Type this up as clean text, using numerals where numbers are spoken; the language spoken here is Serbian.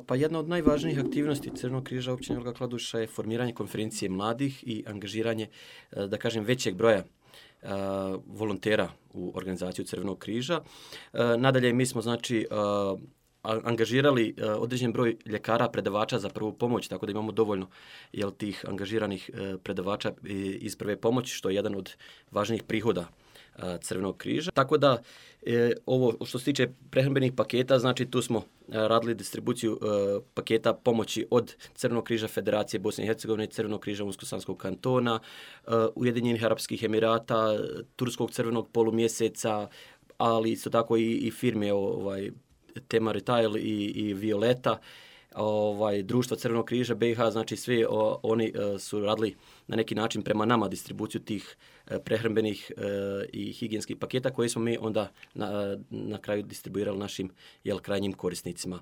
Pa jedna od najvažnijih aktivnosti Crvenog križa općine Velika Kladuša je formiranje konferencije mladih i angažiranje, da kažem, većeg broja volontera u organizaciju Crvenog križa. Nadalje, mi smo znači angažirali određen broj ljekara, predavača za prvu pomoć, tako da imamo dovoljno tih angažiranih predavača iz prve pomoći, što je jedan od važnijih prihoda Crvenog križa. Tako da ovo što se tiče prehrambenih paketa, znači tu smo radili distribuciju paketa pomoći od Crvenog križa Federacije Bosne i Hercegovine, Crvenog križa Unsko-Sanskog kantona, Ujedinjenih Arapskih Emirata, Turskog crvenog polumjeseca, ali isto tako i firme Tema Retail i Violeta, društva Crvenog križa BiH, znači svi oni su radili na neki način prema nama distribuciju tih prehrambenih i higijenskih paketa koje smo mi onda na kraju distribuirali našim krajnjim korisnicima.